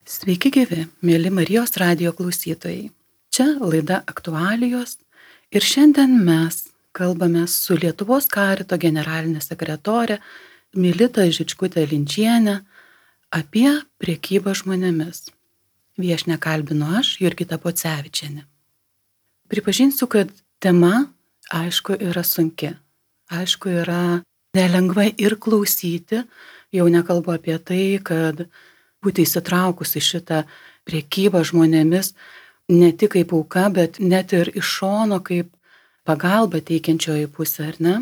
Sveiki gyvi, mėly Marijos radijo klausytojai. Čia laida Aktualijos ir šiandien mes kalbame su Lietuvos Karito generalinė sekretorė Milita Žičkutė Linčienė apie prekybą žmonėmis. Viešnią kalbinu aš, Jurgita Pocevičienė. Pripažinsiu, kad tema, aišku, yra sunki. Aišku, yra nelengva ir klausyti, jau nekalbu apie tai, kad būti įsitraukus į šitą prekybą žmonėmis ne tik kaip auka, bet net ir iš šono kaip pagalba teikiančioji pusė, ar ne?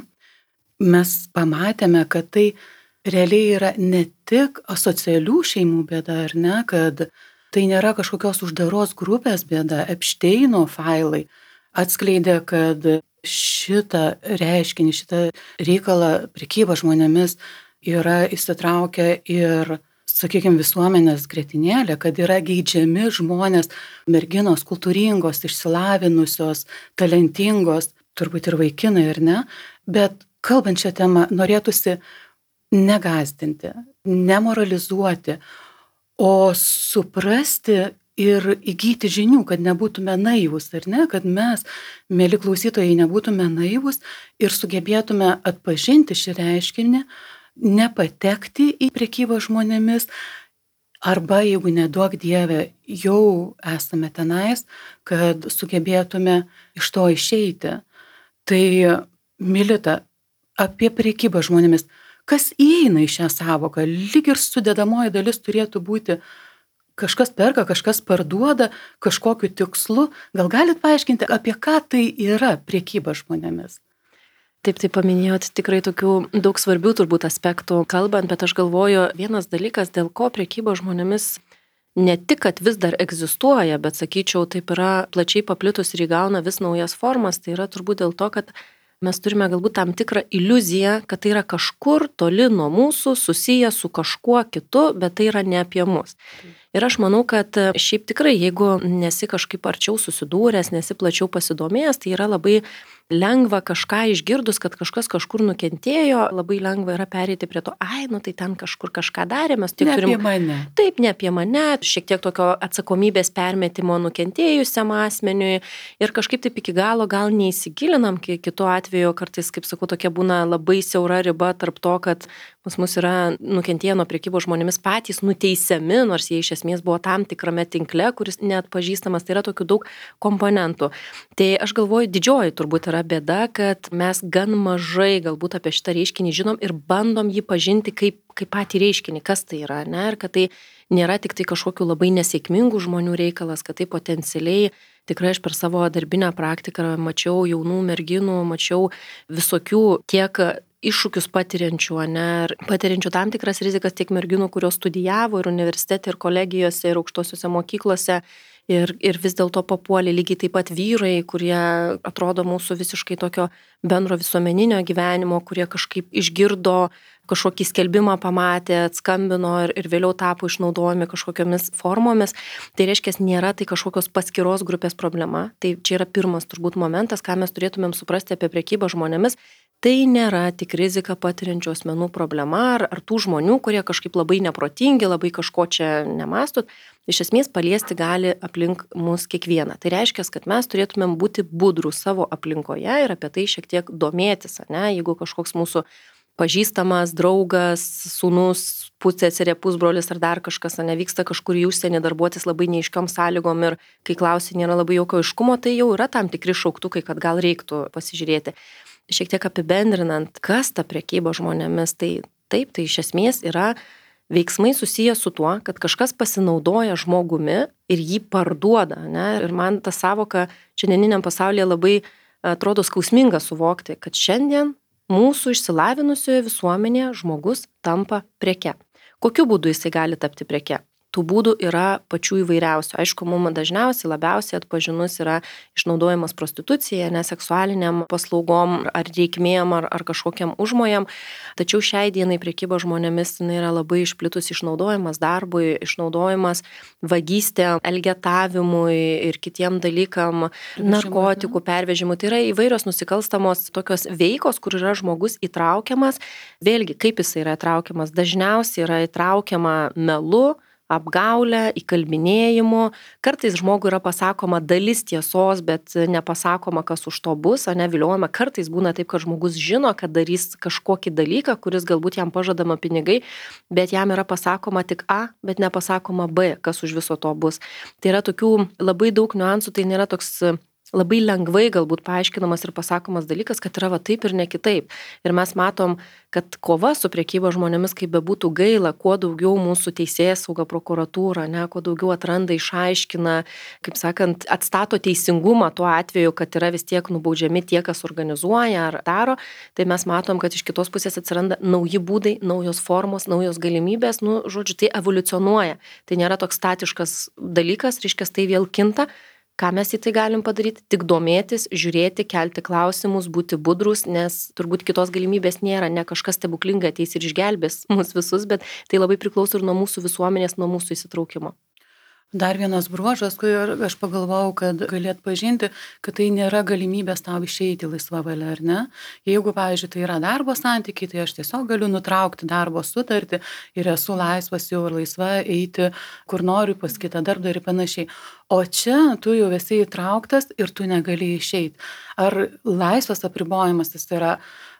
Mes pamatėme, kad tai realiai yra ne tik asocialių šeimų bėda, ar ne, kad tai nėra kažkokios uždaros grupės bėda. Epšteino failai atskleidė, kad šitą reiškinį, šitą reikalą prekybą žmonėmis yra įsitraukę ir, sakykime, visuomenės grietinėlė, kad yra geidžiami žmonės, merginos kultūringos, išsilavinusios, talentingos, turbūt ir vaikinai, ar ne? Bet kalbant šią temą, norėtųsi negąsdinti, nemoralizuoti, o suprasti ir įgyti žinių, kad nebūtume naivūs, ar ne? Kad mes, mėly klausytojai, nebūtume naivūs ir sugebėtume atpažinti šį reiškinį, nepatekti į prekybą žmonėmis, arba jeigu neduok Dieve, jau esame tenais, kad sugebėtume iš to išeiti. Tai, Milita, apie prekybą žmonėmis, kas įeina į šią savoką? Lyg ir sudedamoji dalis turėtų būti kažkas perka, kažkas parduoda, kažkokiu tikslu. Gal galit paaiškinti, apie ką tai yra prekyba žmonėmis? Taip paminėjot tikrai tokių daug svarbių turbūt aspektų kalbant, bet aš galvoju, vienas dalykas, dėl ko prekyba žmonėmis ne tik, kad vis dar egzistuoja, bet sakyčiau, taip yra plačiai paplitus ir įgauna vis naujas formas, tai yra turbūt dėl to, kad mes turime galbūt tam tikrą iliuziją, kad tai yra kažkur toli nuo mūsų, susiję su kažkuo kitu, bet tai yra ne apie mus. Ir aš manau, kad šiaip tikrai, jeigu nesi kažkaip arčiau susidūręs, nesi plačiau pasidomėjęs, tai yra labai lengva kažką išgirdus, kad kažkas kažkur nukentėjo, labai lengva yra pereiti prie to, tai ten kažkur kažką darė, mes tik turim... Ne apie mane. Taip, ne apie mane, šiek tiek tokio atsakomybės permetimo nukentėjusiam asmeniui ir kažkaip taip iki galo gal neįsigilinam, kitu atveju kartais, kaip sakau, tokia būna labai siaura riba tarp to, kad pas mus yra nukentėję nuo prekybos žmonėmis patys nuteisiami, nors jie iš esmės buvo tam tikrame tinkle, kuris neatpažįstamas, tai yra tokių daug komponentų. Tai aš galvoju, didžioji turbūt yra bėda, kad mes gan mažai galbūt apie šitą reiškinį žinom ir bandom jį pažinti kaip patį reiškinį, kas tai yra, ne? Ir kad tai nėra tik tai kažkokių labai nesėkmingų žmonių reikalas, kad tai potencialiai, tikrai aš per savo darbinę praktiką mačiau jaunų merginų, mačiau visokių tiek iššūkius patiriančių, ne, ir patiriančių tam tikras rizikas tiek merginų, kurios studijavo ir universitete, ir kolegijose, ir aukštosiuose mokyklose, ir vis dėlto papuolė lygiai taip pat vyrai, kurie atrodo mūsų visiškai tokio bendro visuomeninio gyvenimo, kurie kažkaip išgirdo kažkokį skelbimą pamatė, atskambino ir vėliau tapo išnaudojami kažkokiamis formomis. Tai reiškia, nėra tai kažkokios paskiros grupės problema. Tai čia yra pirmas turbūt momentas, ką mes turėtumėm suprasti apie prekybą žmonėmis. Tai nėra tik rizika patiriančių asmenų problema ar tų žmonių, kurie kažkaip labai neprotingi, labai kažko čia nemastot. Iš esmės paliesti gali aplink mus kiekvieną. Tai reiškia, kad mes turėtumėm būti budrūs savo aplinkoje ir apie tai šiek tiek domėtis, ne? Jeigu kažkoks mūsų pažįstamas, draugas, sūnus, pusseserė, pusbrolis ar dar kažkas, nevyksta kažkur į užsienį darbuotis labai neaiškiom sąlygom ir kai klausi nėra labai jokio aiškumo, tai jau yra tam tikri šauktukai, kad gal reiktų pasižiūrėti. Šiek tiek apibendrinant, kas ta prekyba žmonėmis, tai taip, tai iš esmės yra veiksmai susiję su tuo, kad kažkas pasinaudoja žmogumi ir jį parduoda, ne? Ir man ta savoka šiandieniniam pasaulyje labai atrodo skausminga suvokti, kad šiandien mūsų išsilavinusioje visuomenėje žmogus tampa preke. Kokiu būdu jisai gali tapti preke? Tų būdų yra pačių įvairiausių. Aišku, mums dažniausiai labiausiai atpažinus yra išnaudojimas prostitucija, neseksualiniam paslaugom ar reikmėm ar kažkokiam užmojam. Tačiau šiai dienai prekyba žmonėmis yra labai išplitus išnaudojimas darbui, išnaudojimas vagystė, elgetavimui ir kitiem dalykam, narkotikų pervežimui. Tai yra įvairios nusikalstamos tokios veikos, kur yra žmogus įtraukiamas. Vėlgi, kaip jis yra įtraukiamas? Dažniausiai yra įtraukiama melu, apgaulę, įkalbinėjimu. Kartais žmogui yra pasakoma dalis tiesos, bet nepasakoma, kas už to bus, viliojama. Kartais būna taip, kad žmogus žino, kad darys kažkokį dalyką, kuris galbūt jam pažadama pinigai, bet jam yra pasakoma tik A, bet nepasakoma B, kas už viso to bus. Tai yra tokių labai daug niuansų, tai nėra toks labai lengvai galbūt paaiškinamas ir pasakomas dalykas, kad yra va taip ir ne kitaip. Ir mes matom, kad kova su prekyba žmonėmis, kaip bebūtų gaila, kuo daugiau mūsų teisėsauga, prokuratūra, kuo daugiau atranda, išaiškina, kaip sakant, atstato teisingumą tuo atveju, kad yra vis tiek nubaudžiami tie, kas organizuoja ar daro, tai mes matom, kad iš kitos pusės atsiranda nauji būdai, naujos formos, naujos galimybės, žodžiu, tai evoliucionuoja. Tai nėra toks statiškas dalykas, reiškia, tai vėl kinta. Ką mes į tai galim padaryti? Tik domėtis, žiūrėti, kelti klausimus, būti budrus, nes turbūt kitos galimybės nėra, ne kažkas stebuklingai ateis ir išgelbės mus visus, bet tai labai priklauso ir nuo mūsų visuomenės, nuo mūsų įsitraukimo. Dar vienas bruožas, kur aš pagalvojau, kad galėt pažinti, kad tai nėra galimybės tau išeiti laisva valia, ar ne? Jeigu, pavyzdžiui, tai yra darbo santykiai, tai aš tiesiog galiu nutraukti darbo sutartį ir esu laisvas jau ir laisva eiti, kur noriu, pas kitą darbdavį ir panašiai. O čia tu jau esi įtrauktas ir tu negali išeiti. Ar laisvas apribojimas tas yra,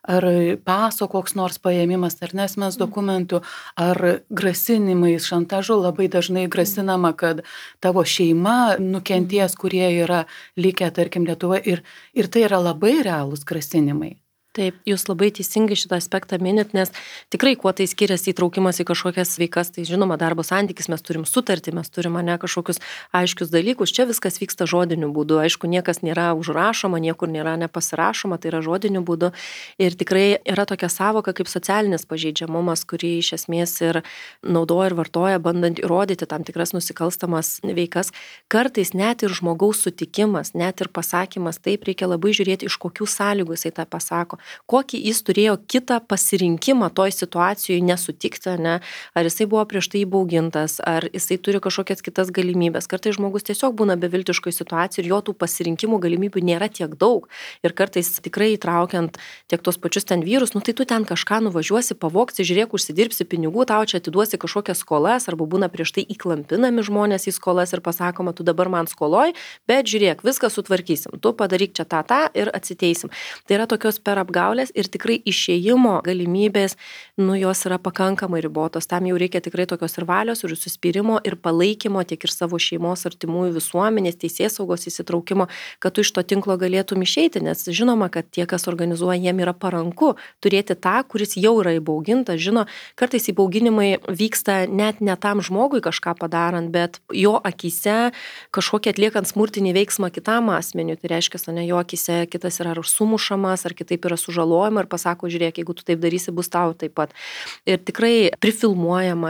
ar paso koks nors paėmimas, ar nesmens dokumentų, ar grasinimais, šantažu, labai dažnai grasinama, kad tavo šeima nukenties, kurie yra likę, tarkim, Lietuvoje. Ir tai yra labai realūs grasinimai. Taip, jūs labai teisingai šitą aspektą minit, nes tikrai kuo tai skiriasi įtraukimas į kažkokias veikas, tai žinoma, darbo santykis, mes turim sutartį, mes turim kažkokius aiškius dalykus, čia viskas vyksta žodiniu būdu, aišku, niekas nėra užrašoma, niekur nėra nepasirašoma, tai yra žodiniu būdu ir tikrai yra tokia savoka kaip socialinis pažeidžiamumas, kurį iš esmės ir naudoja ir vartoja, bandant įrodyti tam tikras nusikalstamas veikas. Kartais net ir žmogaus sutikimas, net ir pasakymas, taip reikia labai žiūrėti, iš kokių sąlygų jisai tą pasako. Kokį jis turėjo kitą pasirinkimą toj situacijoje nesutikti, ar jisai buvo prieš tai įbaugintas, ar jisai turi kažkokias kitas galimybės. Kartais žmogus tiesiog būna beviltiškoj situacijoj ir jo tų pasirinkimų galimybių nėra tiek daug. Ir kartais tikrai įtraukiant tiek tos pačius ten vyrus, tai tu ten kažką nuvažiuosi, pavoksi, žiūrėk, užsidirbsi pinigų, tau čia atiduosi kažkokias skolas, arba būna prieš tai įklampinami žmonės į skolas ir pasakoma, tu dabar man skoloj, bet žiūrėk, viską sutvarkysim, tu padaryk čia tą ir atsiteisim. Tai yra tokios per apgaulės ir tikrai išėjimo galimybės, jos yra pakankamai ribotos. Tam jau reikia tikrai tokios ir valios, ir suspyrimo, ir palaikymo, tiek ir savo šeimos, artimųjų, visuomenės, teisėsaugos įsitraukimo, kad tu iš to tinklo galėtum išeiti, nes žinoma, kad tie, kas organizuoja, jiem yra paranku turėti tą, kuris jau yra įbaugintas. Žino, kartais įbauginimai vyksta net ne tam žmogui kažką padarant, bet jo akyse kažkokį atliekant smurtinį veiksmą kitam asmeniui. Tai reiškia, jo akyse kitas yra sumušamas, ar kitaip yra sužalojama ir pasako, žiūrėk, jeigu tu taip darysi, bus tau taip pat. Ir tikrai prifilmuojama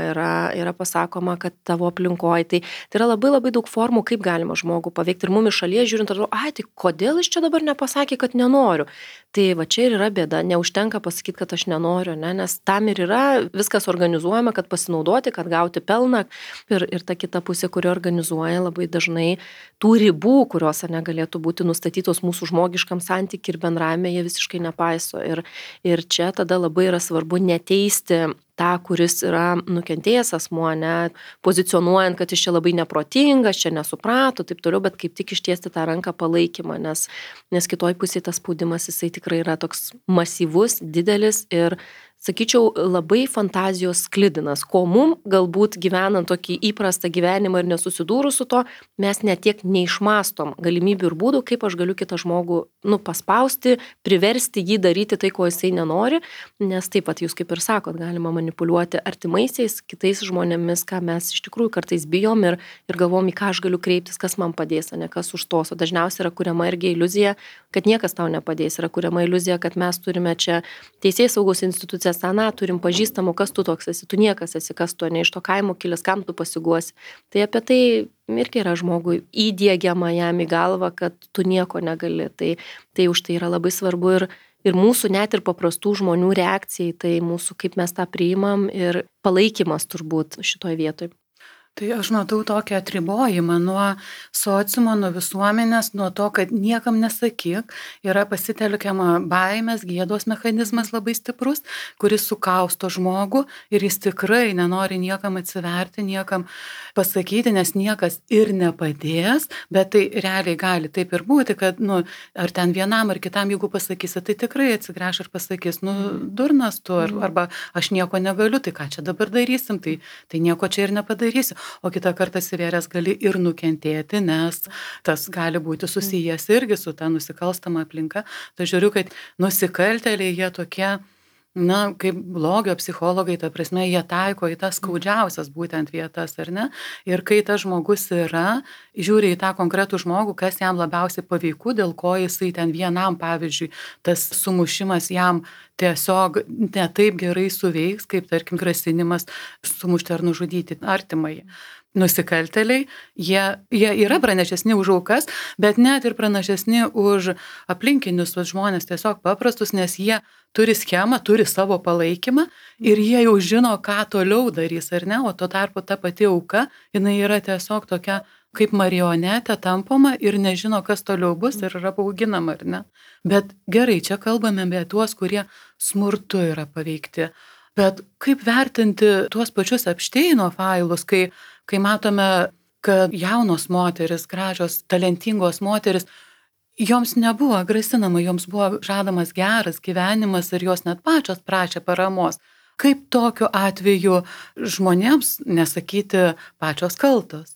yra pasakoma, kad tavo aplinkoje. Tai yra labai labai daug formų, kaip galima žmogų paveikti. Ir mum iš šalies žiūrint, atrodo, tai kodėl jis čia dabar nepasakė, kad nenoriu. Tai va čia ir yra bėda, neužtenka pasakyti, kad aš nenoriu, nes tam ir yra viskas organizuojama, kad pasinaudoti, kad gauti pelną. Ir ta kita pusė, kuri organizuoja, labai dažnai tų ribų, kurios negalėtų būti nustatytos mūsų žmogiškam santykiui ir bendravime, jie visiškai nepaiso. Ir čia tada labai yra svarbu neteisti tą, kuris yra nukentėjęs asmuo, pozicionuojant, kad jis čia labai neprotingas, čia nesuprato, taip toliau, bet kaip tik ištiesti tą ranką palaikymą, nes kitoj pusėje tas spaudimas jisai tikrai yra toks masyvus, didelis ir sakyčiau, labai fantazijos sklidinas, ko mum galbūt gyvenant tokį įprastą gyvenimą ir nesusidūrus su to, mes netiek neišmastom galimybių ir būdų, kaip aš galiu kitą žmogų paspausti, priversti jį daryti tai, ko jisai nenori, nes taip pat jūs kaip ir sakot, galima manipuliuoti artimaisiais, kitais žmonėmis, ką mes iš tikrųjų kartais bijom ir galvom, į ką aš galiu kreiptis, kas man padės, kas už tos. O dažniausiai yra kuriama irgi iliuzija, kad niekas tau nepadės, yra kuriama iliuzija, kad mes turime čia teisėsaugos institucijas, turim pažįstamų, kas tu toks esi, tu niekas esi, kas tu, ne iš to kaimo kilęs, kam tu pasiguosi. Tai apie tai irgi yra žmogui įdiegiama jam į galvą, kad tu nieko negali. Tai už tai yra labai svarbu ir mūsų net ir paprastų žmonių reakcijai, tai mūsų kaip mes tą priimam ir palaikymas turbūt šitoj vietoj. Tai aš matau tokį atribojimą nuo sociumo, nuo visuomenės, nuo to, kad niekam nesakyk, yra pasitelkiama baimės, gėdos mechanizmas labai stiprus, kuris sukausto žmogų ir jis tikrai nenori niekam atsiverti, niekam pasakyti, nes niekas ir nepadės, bet tai realiai gali taip ir būti, kad, ar ten vienam ar kitam, jeigu pasakysi, tai tikrai atsigręš ir pasakys, durnas tu, arba aš nieko negaliu, tai ką čia dabar darysim, tai nieko čia ir nepadarysiu. O kitą kartą atsivėręs gali ir nukentėti, nes tas gali būti susijęs irgi su ta nusikalstama aplinka. Tai žiūriu, kad nusikaltėliai jie tokie, kaip blogio psichologai, ta prasme, jie taiko į tas skaudžiausias būtent vietas, ar ne? Ir kai tas žmogus yra, žiūri į tą konkretų žmogų, kas jam labiausiai paveiku, dėl ko jisai ten vienam, pavyzdžiui, tas sumušimas jam tiesiog ne taip gerai suveiks, kaip, tarkim, grasinimas sumušti ar nužudyti artimai. Nusikaltėliai, jie yra pranašesni už aukas, bet net ir pranašesni už aplinkinius žmonės tiesiog paprastus, nes jie turi schemą, turi savo palaikymą ir jie jau žino, ką toliau darys, ar ne, o tuo tarpu ta pati auka, jinai yra tiesiog tokia kaip marionetė tampoma ir nežino, kas toliau bus ir yra bauginama, ar ne. Bet gerai, čia kalbame apie tuos, kurie smurtu yra paveikti. Bet kaip vertinti tuos pačius Epšteino failus, kai matome, kad jaunos moteris, gražios, talentingos moteris, joms nebuvo grasinama, joms buvo žadamas geras gyvenimas ir jos net pačios prašė paramos. Kaip tokiu atveju žmonėms nesakyti pačios kaltos?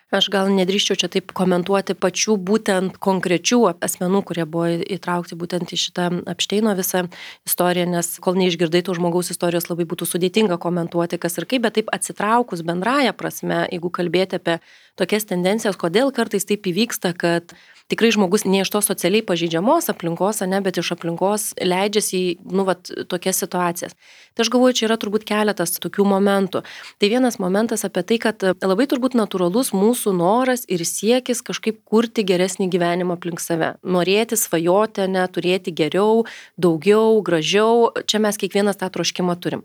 Aš gal nedrįščiau čia taip komentuoti pačių būtent konkrečių asmenų, kurie buvo įtraukti būtent į šitą Epšteino visą istoriją, nes kol neišgirdai tų žmogaus istorijos, labai būtų sudėtinga komentuoti, kas ir kaip, bet taip atsitraukus bendraja prasme, jeigu kalbėti apie tokias tendencijas, kodėl kartais taip įvyksta, kad tikrai žmogus ne iš tos socialiai pažeidžiamos aplinkos, bet iš aplinkos leidžiasi į tokias situacijas. Tai aš galvoju, čia yra turbūt keletas tokių momentų. Tai vienas momentas apie tai, kad labai turbūt natūralus mūsų noras ir siekis kažkaip kurti geresnį gyvenimą aplink save. Norėti, svajoti, turėti geriau, daugiau, gražiau. Čia mes kiekvienas tą troškimą turim.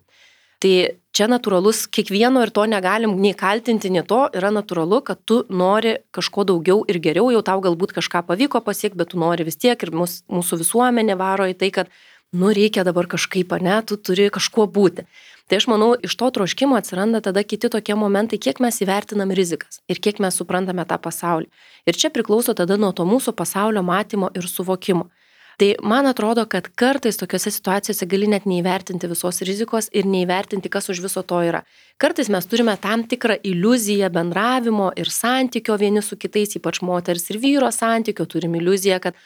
Tai čia natūralus, kiekvieno ir to negalim nei kaltinti, nei to, yra natūralu, kad tu nori kažko daugiau ir geriau, jau tau galbūt kažką pavyko pasiekti, bet tu nori vis tiek ir mūsų visuomenė varo į tai, kad reikia dabar kažkaip, tu turi kažkuo būti. Tai aš manau, iš to troškimo atsiranda tada kiti tokie momentai, kiek mes įvertinam rizikas ir kiek mes suprantame tą pasaulį. Ir čia priklauso tada nuo to mūsų pasaulio matymo ir suvokimo. Tai man atrodo, kad kartais tokiose situacijose gali net neįvertinti visos rizikos ir neįvertinti, kas už viso to yra. Kartais mes turime tam tikrą iliuziją bendravimo ir santykio vieni su kitais, ypač moters ir vyro santykio, turim iliuziją, kad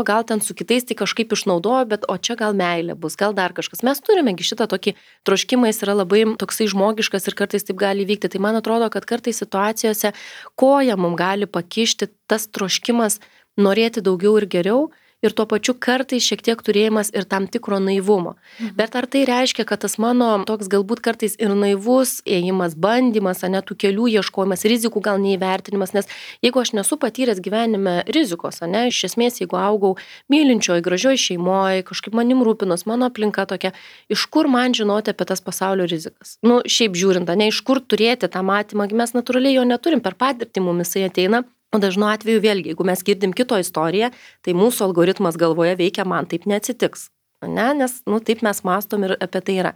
gal ten su kitais tai kažkaip išnaudojo, bet o čia gal meilė bus, gal dar kažkas. Mes turimegi šitą tokį troškimą, jis yra labai toksai žmogiškas ir kartais taip gali vykti. Tai man atrodo, kad kartais situacijose koja mums gali pakišti tas troškimas norėti daugiau ir geriau, ir tuo pačiu kartais šiek tiek turėjimas ir tam tikro naivumo. Bet ar tai reiškia, kad tas mano toks galbūt kartais ir naivus ėjimas, bandymas, tų kelių ieškojimas, rizikų gal neįvertinimas, nes jeigu aš nesu patyręs gyvenime rizikos, iš esmės, jeigu augau mylinčioj, gražioj šeimoje, kažkaip manim rūpinos, mano aplinka tokia, iš kur man žinoti apie tas pasaulio rizikas? Šiaip žiūrint, iš kur turėti tą matymą, mes natūraliai jo neturim, per patirtį mumis jisai ateina. O dažnu atveju vėlgi, jeigu mes girdim kito istoriją, tai mūsų algoritmas galvoje veikia, man taip neatsitiks. Nes taip mes mąstom ir apie tai yra.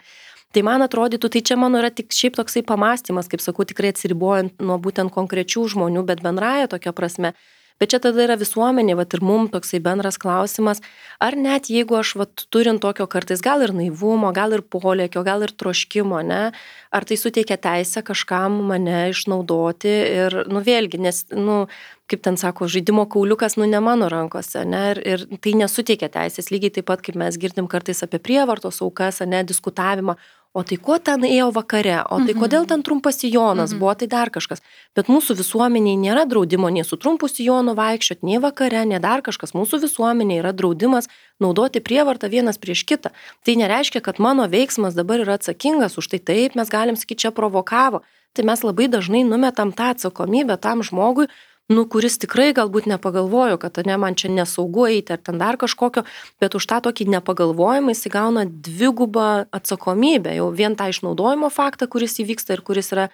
Tai man atrodytų, tai čia mano yra tik šiaip toksai pamąstymas, kaip sakau, tikrai atsiribojant nuo būtent konkrečių žmonių, bet bendraja tokia prasme. Bet čia tada yra visuomenė, ir mums toksai bendras klausimas, ar net jeigu aš turint tokio kartais gal ir naivumo, gal ir polėkio, gal ir troškimo, ar tai suteikia teisę kažkam mane išnaudoti ir, vėlgi, nes, kaip ten sako, žaidimo kauliukas, ne mano rankose, ir tai nesuteikia teisės, lygiai taip pat, kaip mes girdim kartais apie prievartos aukas, diskutavimą. O tai ko ten ėjo vakare, o tai kodėl ten trumpas sijonas buvo, tai dar kažkas. Bet mūsų visuomeniai nėra draudimo nei su trumpu sijonu vaikščioti, nei vakare, nei dar kažkas. Mūsų visuomeniai yra draudimas naudoti prievartą vienas prieš kitą. Tai nereiškia, kad mano veiksmas dabar yra atsakingas už tai, taip mes galim sakyti, čia provokavo. Tai mes labai dažnai numetam tą atsakomybę tam žmogui, kuris tikrai galbūt nepagalvojo, kad man čia nesaugu eiti ar ten dar kažkokio, bet už tą tokį nepagalvojimą jis įgauna dvigubą atsakomybę, jau vien tą išnaudojimo faktą, kuris įvyksta ir kuris yra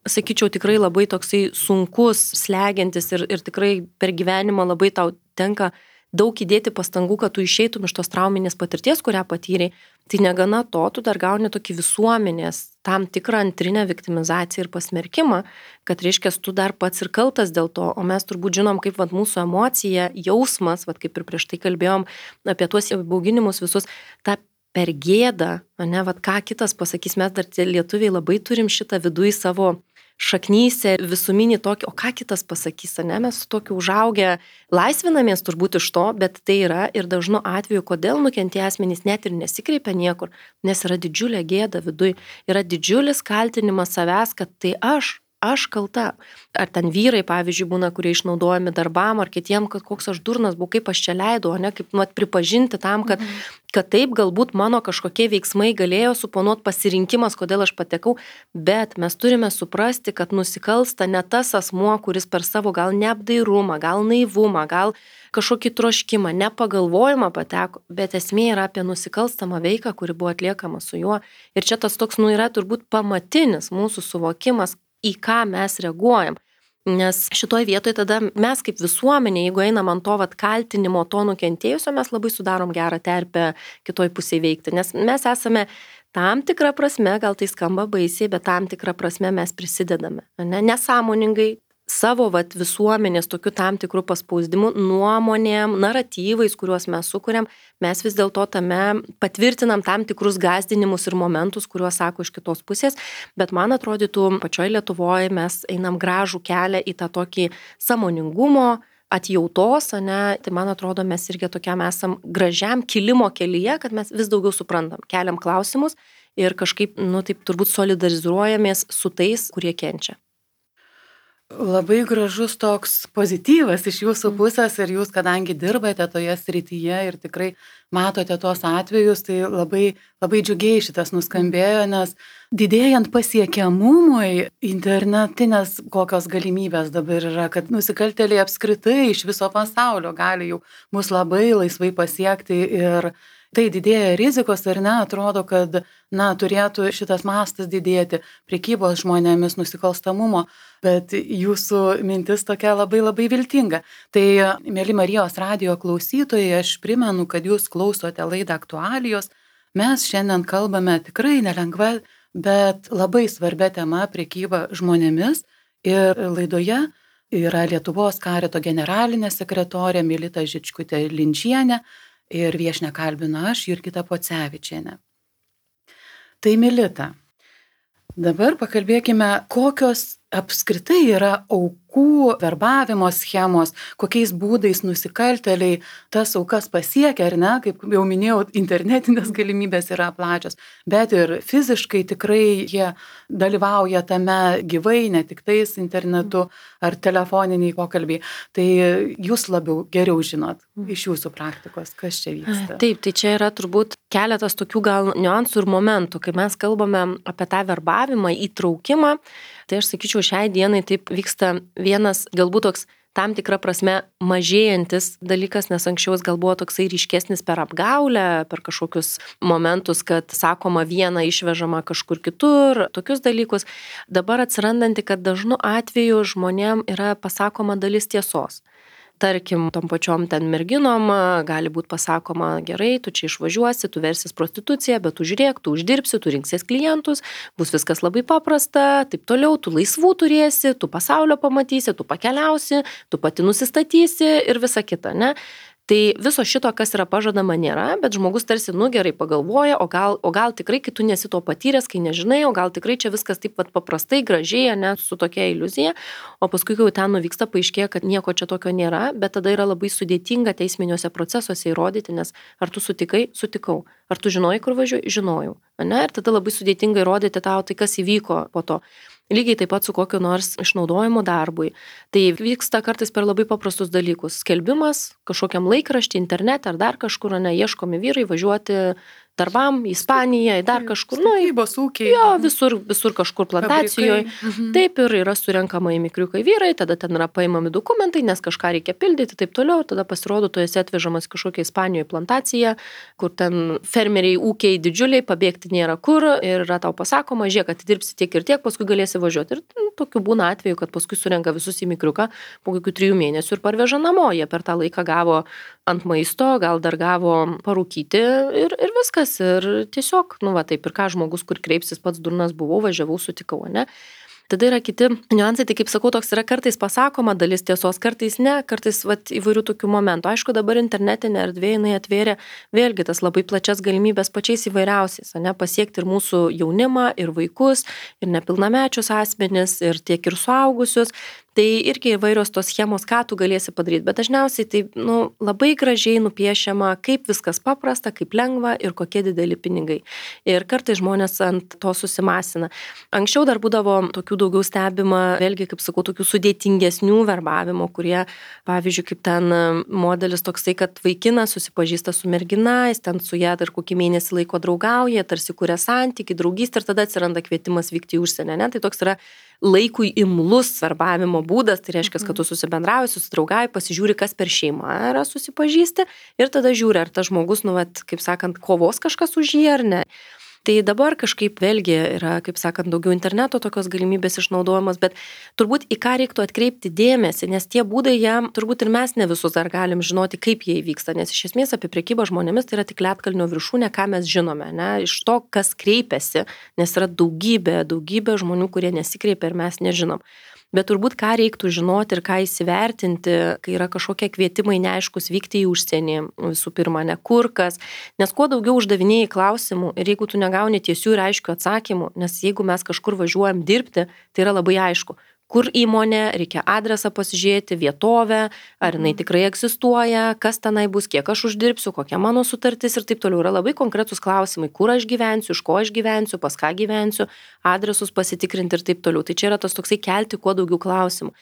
sakyčiau, tikrai labai toksai sunkus, slegiantis ir tikrai per gyvenimą labai tau tenka daug įdėti pastangų, kad tu išeitum iš tos trauminės patirties, kurią patyrei. Tai negana to, tu dar gauni tokį visuomenės tam tikrą antrinę viktimizaciją ir pasmerkimą, kad reiškia, tu dar pats ir kaltas dėl to, o mes turbūt žinom, kaip mūsų emocija, jausmas, kaip ir prieš tai kalbėjom apie tuos bauginimus visus, tą per gėdą, ne, ką kitas pasakys, mes dar tie lietuviai labai turim šitą viduje savo šaknyse, visuminį tokį, o ką kitas pasakys, ne, mes su tokiu užaugę laisvinamės turbūt iš to, bet tai yra ir dažnu atveju, kodėl nukentėję asmenys net ir nesikreipia niekur, nes yra didžiulė gėda viduje, yra didžiulis kaltinimas savęs, kad tai aš kalta. Ar ten vyrai, pavyzdžiui, būna, kurie išnaudojami darbam, ar kitiem, kad koks aš durnas buvau, kaip aš čia leidau, ne, kaip pripažinti tam, kad taip galbūt mano kažkokie veiksmai galėjo suponuoti pasirinkimas, kodėl aš patekau, bet mes turime suprasti, kad nusikalsta ne tas asmuo, kuris per savo gal neapdairumą, gal naivumą, gal kažkokį troškimą, nepagalvojimą pateko, bet esmė yra apie nusikalstamą veiką, kuri buvo atliekama su juo. Ir čia tas toks, yra turbūt pamatinis mūsų suvokimas, į ką mes reaguojam. Nes šitoj vietoje tada mes kaip visuomenė, jeigu einam ant to kaltinimo to nukentėjusio, mes labai sudarom gerą terpę kitoj pusėje veikti. Nes mes esame tam tikrą prasme, gal tai skamba baisiai, bet tam tikrą prasme mes prisidedame. Nesąmoningai savo visuomenės tokiu tam tikrų paspausdimų, nuomonėm, naratyvais, kuriuos mes sukuriam, mes vis dėlto tame patvirtinam tam tikrus gąsdinimus ir momentus, kuriuos sako iš kitos pusės, bet man atrodytų, pačioj Lietuvoje mes einam gražų kelią į tą tokį sąmoningumo, atjautos, ne, tai man atrodo, mes irgi tokiam esam gražiam kilimo kelyje, kad mes vis daugiau suprantam, keliam klausimus ir kažkaip, taip turbūt solidarizuojamės su tais, kurie kenčia. Labai gražus toks pozityvas iš jūsų pusės ir jūs, kadangi dirbate toje srityje ir tikrai matote tos atvejus, tai labai, labai džiugiai šitas nuskambėjo, nes didėjant pasiekiamumui internetinės kokios galimybės dabar yra, kad nusikaltėliai apskritai iš viso pasaulio gali jau mus labai laisvai pasiekti ir tai didėja rizikos ir atrodo, kad turėtų šitas mastas didėti prekybos žmonėmis nusikalstamumo, bet jūsų mintis tokia labai labai viltinga. Tai, mėly Marijos radijo klausytojai, aš primenu, kad jūs klausote laidą Aktualijos. Mes šiandien kalbame tikrai nelengva, bet labai svarbia tema prekyba žmonėmis ir laidoje yra Lietuvos karito generalinė sekretorė Milita Žičkutė-Linčienė, ir viešnią kalbinu aš, Jurgita Pocevičienė. Tai Milita, dabar pakalbėkime, kokios apskritai yra aukų verbavimo schemos, kokiais būdais nusikaltėliai tas aukas pasiekia, ar ne, kaip jau minėjau, internetinės galimybės yra plačios, bet ir fiziškai tikrai jie dalyvauja tame gyvai, ne tik tais internetu ar telefoniniai pokalbiai. Tai jūs geriau žinot iš jūsų praktikos, kas čia vyksta. Taip, tai čia yra turbūt keletas tokių gal niuansų ir momentų, kai mes kalbame apie tą verbavimą, įtraukimą. Tai aš sakyčiau, šiai dienai taip vyksta vienas galbūt toks tam tikra prasme mažėjantis dalykas, nes anksčiau jis gal buvo toksai ryškesnis per apgaulę, per kažkokius momentus, kad sakoma viena išvežama kažkur kitur, tokius dalykus. Dabar atsirandanti, kad dažnu atveju žmonėm yra pasakoma dalis tiesos. Tarkim, tom pačiom ten merginom gali būti pasakoma, gerai, tu čia išvažiuosi, tu versis prostituciją, bet tu žiūrėk, tu uždirbsi, tu rinksies klientus, bus viskas labai paprasta, taip toliau, tu laisvų turėsi, tu pasaulio pamatysi, tu pakeliausi, tu pati nusistatysi ir visa kita, ne? Tai viso šito, kas yra pažadama, nėra, bet žmogus tarsi, gerai pagalvoja, o gal tikrai, kai tu nesi to patyręs, kai nežinai, o gal tikrai čia viskas taip paprastai, gražiai, ne, su tokia iliuzija, o paskui, kai jau ten nuvyksta, paaiškėja, kad nieko čia tokio nėra, bet tada yra labai sudėtinga teisminiuose procesuose įrodyti, nes ar tu sutikai, sutikau, ar tu žinojai, kur važiuoji, žinojau, ne, ir tada labai sudėtinga įrodyti tau, tai kas įvyko po to. Lygiai taip pat su kokiu nors išnaudojimu darbui. Tai vyksta kartais per labai paprastus dalykus. Skelbimas kažkokiam laikraštį, internete ar dar kažkur, ieškomi vyrai važiuoti darbam, į Ispaniją, į dar kažkur. Statybos ūkiai. Jo, visur kažkur plantacijoje. Taip ir yra surenkama į mikriukai vyrai, tada ten yra paimami dokumentai, nes kažką reikia pildyti, taip toliau. Tada pasirodo, tu esi atvežamas kažkokia Ispanijoje plantacija, kur ten fermeriai, ūkiai didžiuliai, pabėgti nėra kur ir yra tau pasakoma, žiūrėk, kad dirbsi tiek ir tiek, paskui galėsi važiuoti. Ir tokiu būna atveju, kad paskui surenka visus į mikriuką po kokių 3 mėnesių ir parveža namo. Jie per tą laiką gavo ant maisto, gal dar gavo parūkyti ir viskas. Ir tiesiog, taip ir ką žmogus, kur kreipsis, pats durnas buvau, važiavau, sutikau, ne? Tada yra kiti niuansai, tai kaip sakau, toks yra kartais pasakoma dalis tiesos, kartais ne, kartais įvairių tokių momentų. Aišku, dabar internetinė erdvė jinai atvėrė vėlgi tas labai plačias galimybės pačiais įvairiausiais, ne, pasiekti ir mūsų jaunimą, ir vaikus, ir nepilnamečius asmenis, ir tiek ir suaugusius. Tai irgi įvairios tos schemos, ką tu galėsi padaryti, bet dažniausiai tai labai gražiai nupiešiama, kaip viskas paprasta, kaip lengva ir kokie dideli pinigai. Ir kartais žmonės ant to susimasina. Anksčiau dar būdavo tokių daugiau stebima, vėlgi, kaip sakau, tokių sudėtingesnių verbavimo, kurie, pavyzdžiui, kaip ten modelis toksai, kad vaikinas susipažįsta su mergina, jis ten su ją dar kokį mėnesį laiko draugauja, tarsi kuria santyki, draugystę ir tada atsiranda kvietimas vykti į užsienį, ne? Tai toks yra laikui imlus verbavimo būdas, tai reiškia, kad tu susibendrauji, susidraugai, pasižiūri, kas per šeimą yra susipažįsti ir tada žiūri, ar tas žmogus, kaip sakant, kovos kažkas už jį ar ne. Tai dabar kažkaip vėlgi yra, kaip sakant, daugiau interneto tokios galimybės išnaudojamas, bet turbūt į ką reiktų atkreipti dėmesį, nes tie būdai jam, turbūt ir mes ne visus dar galim žinoti, kaip jie įvyksta, nes iš esmės apie prekybą žmonėmis tai yra tik ledkalnio viršūnė, ką mes žinome, ne, iš to, kas kreipiasi, nes yra daugybė žmonių, kurie nesikreipia ir mes nežinom. Bet turbūt ką reiktų žinoti ir ką įsivertinti, kai yra kažkokie kvietimai neaiškus vykti į užsienį, visų pirma, ne kur kas, nes kuo daugiau uždavinėjai klausimų ir jeigu tu negauni tiesių ir aiškių atsakymų, nes jeigu mes kažkur važiuojam dirbti, tai yra labai aišku, kur įmonė, reikia adresą pasižiūrėti, vietovę, ar jinai tikrai egzistuoja, kas tenai bus, kiek aš uždirbsiu, kokia mano sutartis ir taip toliau. Yra labai konkretus klausimai, kur aš gyvensiu, iš ko aš gyvensiu, pas ką gyvensiu, adresus pasitikrinti ir taip toliau. Tai čia yra tas toksai kelti kuo daugiau klausimų.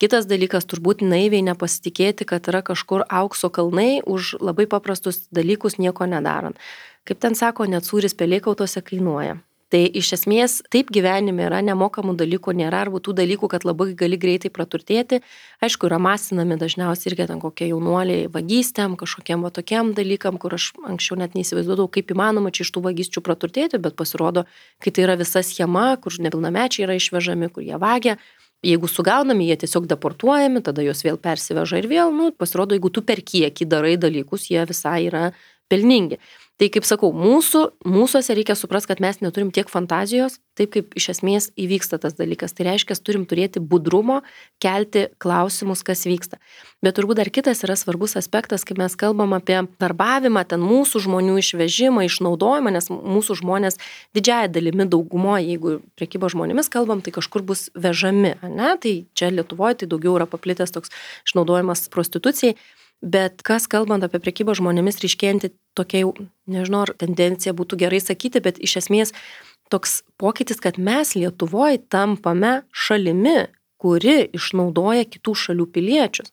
Kitas dalykas, turbūt naiviai nepasitikėti, kad yra kažkur aukso kalnai už labai paprastus dalykus nieko nedarant. Kaip ten sako, net sūris pelėkautose kainuoja. Tai iš esmės taip gyvenime yra, nemokamų dalykų nėra, arba tų dalykų, kad labai gali greitai praturtėti. Aišku, yra masinami dažniausiai irgi ten kokie jaunuoliai vagystėm, kažkokiem tokiem dalykam, kur aš anksčiau net neįsivaizduodavau, kaip įmanoma čia iš tų vagysčių praturtėti, bet pasirodo, kai tai yra visa schema, kur nepilnamečiai yra išvežami, kur jie vagia. Jeigu sugaunami, jie tiesiog deportuojami, tada juos vėl persiveža ir vėl, pasirodo, jeigu tu per kiekį darai dalykus, jie visai yra pelningi. Tai kaip sakau, mūsuose reikia suprasti, kad mes neturim tiek fantazijos, taip kaip iš esmės įvyksta tas dalykas. Tai reiškia, turim turėti budrumo, kelti klausimus, kas vyksta. Bet turbūt dar kitas yra svarbus aspektas, kai mes kalbam apie verbavimą, ten mūsų žmonių išvežimą, išnaudojimą, nes mūsų žmonės didžiąją dalimi daugumoje, jeigu prekyba žmonėmis kalbam, tai kažkur bus vežami, ne? Tai čia Lietuvoje tai daugiau yra paplitęs toks išnaudojimas prostitucijai. Bet kas kalbant apie prekybą žmonėmis ryškėjanti tokia jau, nežinau, ar tendencija būtų gerai sakyti, bet iš esmės toks pokytis, kad mes Lietuvoje tampame šalimi, kuri išnaudoja kitų šalių piliečius.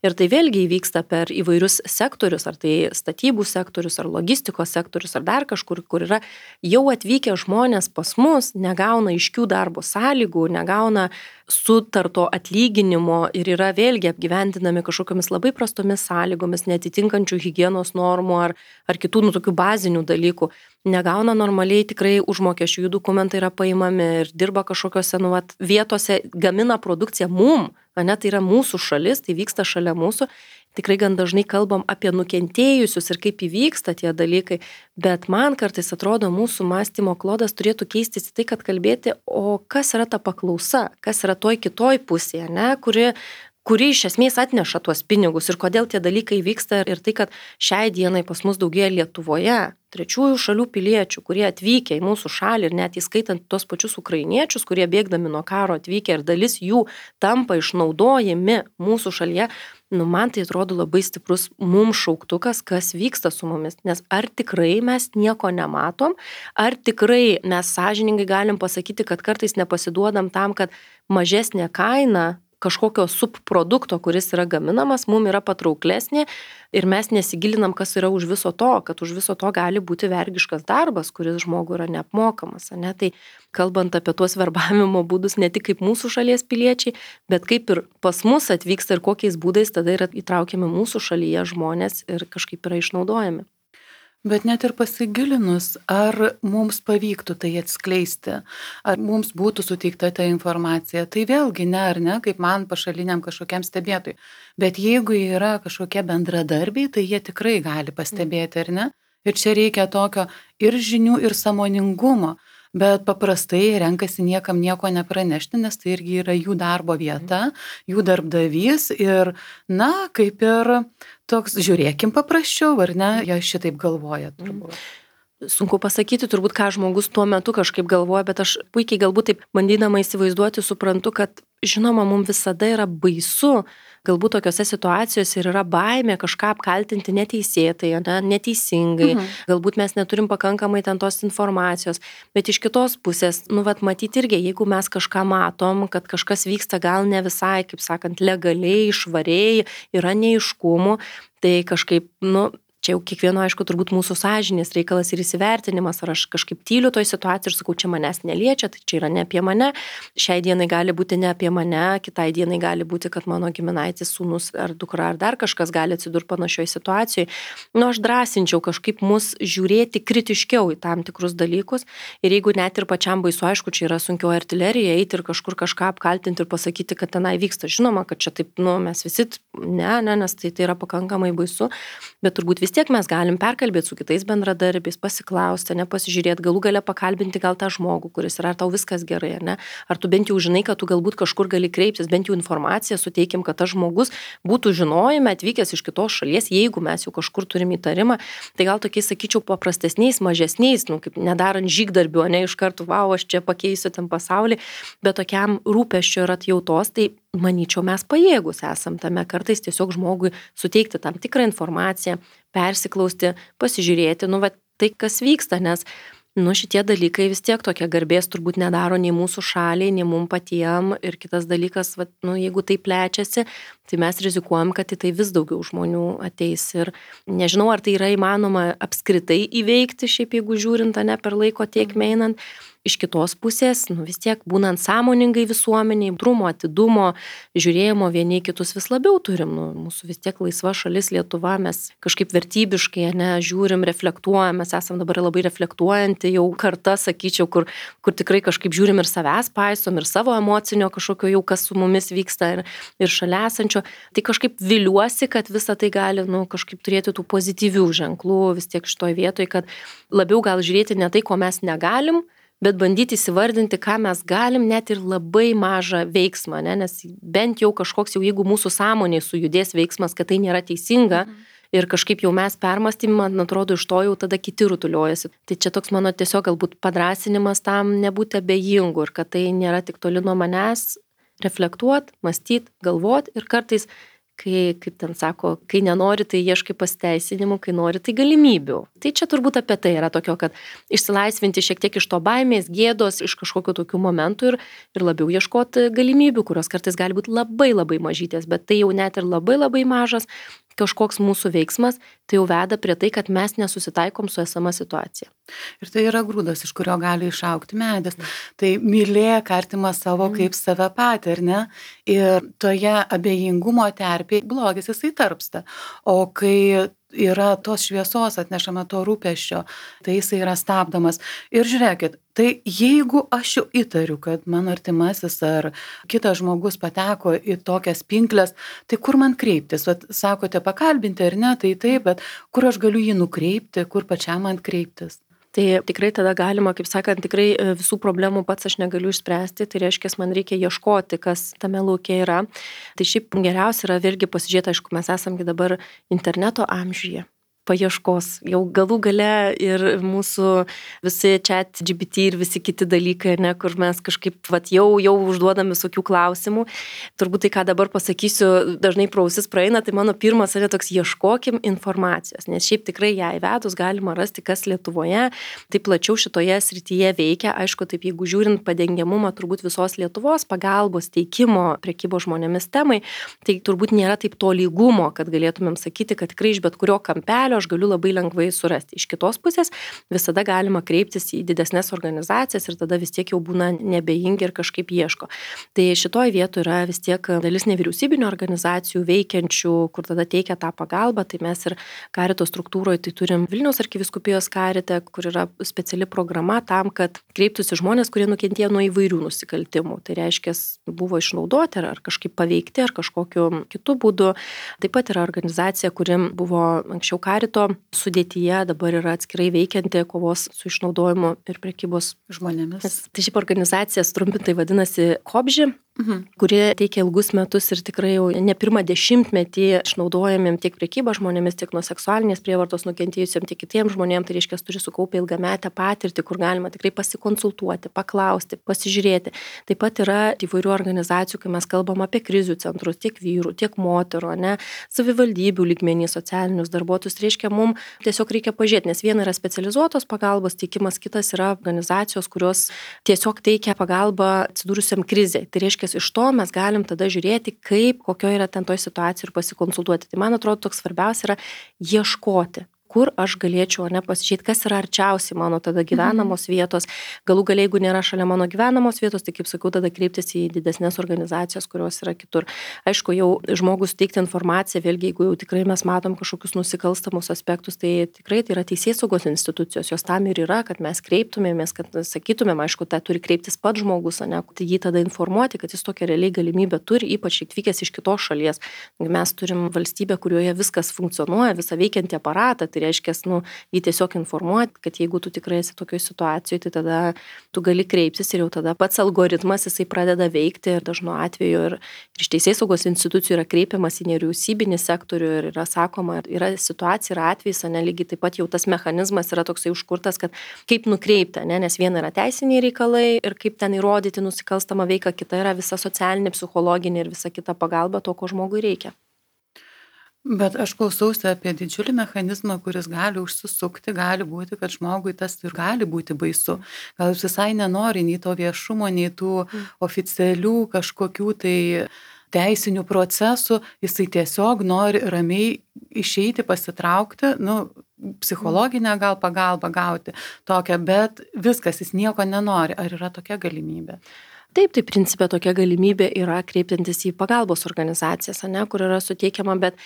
Ir tai vėlgi įvyksta per įvairius sektorius, ar tai statybų sektorius, ar logistikos sektorius, ar dar kažkur, kur yra jau atvykę žmonės pas mus, negauna aiškių darbo sąlygų, negauna sutarto atlyginimo ir yra vėlgi apgyvendinami kažkokiamis labai prastomis sąlygomis, netitinkančių higienos normų ar kitų tokių bazinių dalykų. Negauna normaliai tikrai užmokesčių, jų dokumentai yra paimami ir dirba kažkokiose vietose, gamina produkciją mum, ne, tai yra mūsų šalis, tai vyksta šalia mūsų. Tikrai gan dažnai kalbam apie nukentėjusius ir kaip įvyksta tie dalykai, bet man kartais atrodo mūsų mąstymo klodas turėtų keistis į tai, kad kalbėti, o kas yra ta paklausa, kas yra toj kitoj pusėje, ne, kuri iš esmės atneša tuos pinigus ir kodėl tie dalykai vyksta ir tai, kad šiai dienai pas mus daugėja Lietuvoje trečiųjų šalių piliečių, kurie atvykę į mūsų šalį ir net įskaitant tos pačius ukrainiečius, kurie bėgdami nuo karo atvykę ir dalis jų tampa išnaudojami mūsų šalyje, man tai atrodo labai stiprus mums šauktukas, kas vyksta su mumis, nes ar tikrai mes nieko nematom, ar tikrai mes sąžiningai galim pasakyti, kad kartais nepasiduodam tam, kad mažesnė kaina kažkokio subprodukto, kuris yra gaminamas, mums yra patrauklesnė ir mes nesigilinam, kas yra už viso to, kad už viso to gali būti vergiškas darbas, kuris žmogui yra neapmokamas. Ne? Tai kalbant apie tuos verbavimo būdus, ne tik kaip mūsų šalies piliečiai, bet kaip ir pas mus atvyksta ir kokiais būdais tada yra įtraukiami mūsų šalyje žmonės ir kažkaip yra išnaudojami. Bet net ir pasigilinus, ar mums pavyktų tai atskleisti, ar mums būtų suteikta ta informacija, tai vėlgi ne ar ne, kaip man pašaliniam kažkokiam stebėtojui. Bet jeigu yra kažkokie bendradarbiai, tai jie tikrai gali pastebėti, ar ne? Ir čia reikia tokio ir žinių, ir sąmoningumo. Bet paprastai renkasi niekam nieko nepranešti, nes tai irgi yra jų darbo vieta, jų darbdavys ir, na, kaip ir toks, žiūrėkim paprasčiau, ar ne, jie šitaip galvoja turbūt. Sunku pasakyti turbūt, ką žmogus tuo metu kažkaip galvoja, bet aš puikiai galbūt taip bandydama įsivaizduoti suprantu, kad žinoma, mums visada yra baisu, galbūt tokiose situacijose ir yra baimė kažką apkaltinti neteisėtai, neteisingai, galbūt mes neturim pakankamai ten tos informacijos, bet iš kitos pusės, matyti irgi, jeigu mes kažką matom, kad kažkas vyksta gal ne visai, kaip sakant, legaliai, švariai, yra neaiškumų, tai kažkaip, čia jau kiekvieno, aišku, turbūt mūsų sąžinės reikalas ir įsivertinimas, ar aš kažkaip tyliu toj situacijai ir sakau, čia manęs neliečia, tai čia yra ne apie mane, šiai dienai gali būti ne apie mane, kitai dienai gali būti, kad mano giminaitis, sūnus ar dukra ar dar kažkas gali atsidurti panašioje situacijoje. Aš drąsinčiau kažkaip mus žiūrėti kritiškiau į tam tikrus dalykus ir jeigu net ir pačiam baisu, aišku, čia yra sunkioji artilerija, eiti ir kažkur kažką apkaltinti ir pasakyti, kad tenai vyksta. Žinoma, kad čia taip, mes visi, nes tai yra pakankamai baisu, bet turbūt vis tiek mes galim perkalbėti su kitais bendradarbiais, pasiklausti, nepasižiūrėti, galų gale pakalbinti gal tą žmogų, kuris yra, ar tau viskas gerai, ar ne? Ar tu bent jau žinai, kad tu galbūt kažkur gali kreiptis, bent jau informaciją suteikim, kad tas žmogus būtų žinojime atvykęs iš kitos šalies, jeigu mes jau kažkur turim įtarimą, tai gal tokiais, sakyčiau, paprastesniais, mažesniais, kaip nedarant žygdarbių, ne iš karto, aš čia pakeisiu ten pasaulį, bet tokiam rūpesčio ir atjautos, tai manyčiau, mes pajėgus esam tame kartais tiesiog žmogui suteikti tam tikrą informaciją, persiklausti, pasižiūrėti, tai kas vyksta, nes, šitie dalykai vis tiek tokia garbės turbūt nedaro nei mūsų šaliai, nei mum patiem ir kitas dalykas, jeigu tai plečiasi, tai mes rizikuojam, kad į tai vis daugiau žmonių ateis ir nežinau, ar tai yra įmanoma apskritai įveikti, šiaip jeigu žiūrint, per laiko tiekmę einant. Iš kitos pusės, vis tiek būnant sąmoningai visuomeniai, drumo, atidumo, žiūrėjimo vieni kitus vis labiau turim. Mūsų vis tiek laisva šalis Lietuva, mes kažkaip vertybiškai žiūrim, reflektuojam, mes esam dabar labai reflektuojanti jau karta, sakyčiau, kur tikrai kažkaip žiūrim ir savęs paisom, ir savo emocinio kažkokio jau, kas su mumis vyksta ir šalia esančio. Tai kažkaip viliuosi, kad visa tai gali kažkaip turėti tų pozityvių ženklų vis tiek šitoj vietoj, kad labiau gal žiūrėti ne tai, ko mes negalim, bet bandyti įsivardinti, ką mes galim, net ir labai mažą veiksmą, nes bent jau kažkoks, jau jeigu mūsų sąmonėje sujudės veiksmas, kad tai nėra teisinga ir kažkaip jau mes permastym, man atrodo, iš to jau tada kiti rutuliojasi. Tai čia toks mano tiesiog galbūt padrąsinimas tam nebūti abejingu ir kad tai nėra tik toli nuo manęs, reflektuot, mąstyt, galvot ir kartais kai, kaip ten sako, kai nenori, tai ieškai pasiteisinimų, kai nori, tai galimybių. Tai čia turbūt apie tai yra tokio, kad išsilaisvinti šiek tiek iš to baimės, gėdos, iš kažkokių tokių momentų ir labiau ieškoti galimybių, kurios kartais gali būti labai labai mažytės, bet tai jau net ir labai labai mažas kažkoks mūsų veiksmas, tai jau veda prie tai, kad mes nesusitaikom su esama situacija. Ir tai yra grūdas, iš kurio gali išaugti medis. Tai mylėk artimą savo kaip save patį, ar ne? Ir toje abejingumo terpėje blogis jisai tarpsta. O kai yra tos šviesos atnešama to rūpesčio, tai jisai yra stabdomas. Ir žiūrėkit, tai jeigu aš jau įtariu, kad mano artimasis ar kitas žmogus pateko į tokias pinkles, tai kur man kreiptis? Vat, sakote pakalbinti ar ne, tai taip, bet kur aš galiu jį nukreipti, kur pačiam man kreiptis? Tai tikrai tada galima, kaip sakant, tikrai visų problemų pats aš negaliu išspręsti, tai reiškia, man reikia ieškoti, kas tame lauke yra. Tai šiaip geriausia yra vėlgi pasižiūrėti, aišku, mes esamgi dabar interneto amžiuje. paieškos. Jau galų gale ir mūsų visi ChatGPT ir visi kiti dalykai, ne, kur mes kažkaip jau užduodam visokių klausimų. Turbūt tai, ką dabar pasakysiu, dažnai pro ausis praeina, tai mano pirmas yra toks ieškokim informacijos, nes šiaip tikrai ją įvedus galima rasti, kas Lietuvoje, tai plačiau šitoje srityje veikia. Aišku, taip jeigu žiūrint padengiamumą turbūt visos Lietuvos pagalbos teikimo prekybos žmonėmis temai, tai turbūt nėra taip to lygumo, kad galėtumėm sakyti, kad tikrai iš bet kurio kampelio aš galiu labai lengvai surasti. Iš kitos pusės visada galima kreiptis į didesnės organizacijas ir tada vis tiek jau būna nebejingi ir kažkaip ieško. Tai šitoje vietoje yra vis tiek dalis nevyriausybinių organizacijų veikiančių, kur tada teikia tą pagalbą. Tai mes ir karito struktūroje tai turim Vilniaus arkivyskupijos karite, kur yra speciali programa tam, kad kreiptųsi žmonės, kurie nukentėjo nuo įvairių nusikaltimų. Tai reiškia, buvo išnaudoti ar kažkaip paveikti ar kažkokiu kitu būdu. Taip pat yra organizacija, kuri buvo anksčiau karito sudėtyje, dabar yra atskirai veikianti kovos su išnaudojimu ir prekybos žmonėmis. Tai šiaip organizacija trumpintai vadinasi KOBŽI, kuri teikia ilgus metus ir tikrai jau ne pirmą dešimtmetį išnaudojamiem tiek prekybą žmonėmis, tiek nuo seksualinės prievartos nukentėjusiem, tiek kitiems žmonėms, tai reiškia, turi sukaupę ilgametę patirtį, kur galima tikrai pasikonsultuoti, paklausti, pasižiūrėti. Taip pat yra įvairių organizacijų, kai mes kalbam apie krizių centrus, tiek vyrų, tiek moterų, ne, savivaldybių lygmenį, socialinius darbuotojus, tai reiškia, mums tiesiog reikia pažiūrėti, nes viena yra specializuotos pagalbos teikimas, kitas yra organizacijos, kurios tiesiog teikia pagalbą atsidūrusiam krizei. Tai reiškia, iš to mes galim tada žiūrėti, kaip, kokio yra ten toj situacijai ir pasikonsultuoti. Tai man atrodo, toks svarbiausia yra ieškoti, kur aš galėčiau pasižiūrėti, kas yra arčiausiai mano tada gyvenamos vietos. Galų gale, jeigu nėra šalia mano gyvenamos vietos, tai kaip sakiau, tada kreiptis į didesnės organizacijas, kurios yra kitur. Aišku, jau žmogus teikti informaciją, vėlgi, jeigu jau tikrai mes matom kažkokius nusikalstamus aspektus, tai tikrai tai yra teisėsaugos institucijos, jos tam ir yra, kad mes kreiptumėmės, kad sakytumėm, aišku, tai turi kreiptis pats žmogus, ne, tai jį tada informuoti, kad jis tokią realiai galimybę turi, ypač atvykęs iš kitos šalies. Mes turim valstybę, kurioje viskas funkcionuoja, visą veikiantį aparatą, tai reiškia, jį tiesiog informuoti, kad jeigu tu tikrai esi tokioje situacijoje, tai tada tu gali kreiptis ir jau tada pats algoritmas jisai pradeda veikti ir dažnu atveju ir iš teisėsaugos institucijų yra kreipiamas į nevyriausybinį sektorių ir yra sakoma, yra situacija, yra atvejis, ne, lygiai taip pat jau tas mechanizmas yra toksai užkurtas, kad kaip nukreipti, ne, nes viena yra teisiniai reikalai ir kaip ten įrodyti nusikalstamą veiką, kita yra visa socialinė, psichologinė ir visa kita pagalba to, ko žmogui reikia. Bet aš klausausi apie didžiulį mechanizmą, kuris gali užsisukti, gali būti, kad žmogui tas ir gali būti baisu. Gal jis visai nenori nei to viešumo, nei tų oficialių kažkokių tai teisinių procesų, jisai tiesiog nori ramiai išeiti, pasitraukti, psichologinę gal pagalbą gauti tokią, bet viskas, jis nieko nenori. Ar yra tokia galimybė? Taip, tai principė tokia galimybė yra kreiptis į pagalbos organizacijas, ne, kur yra suteikiama, bet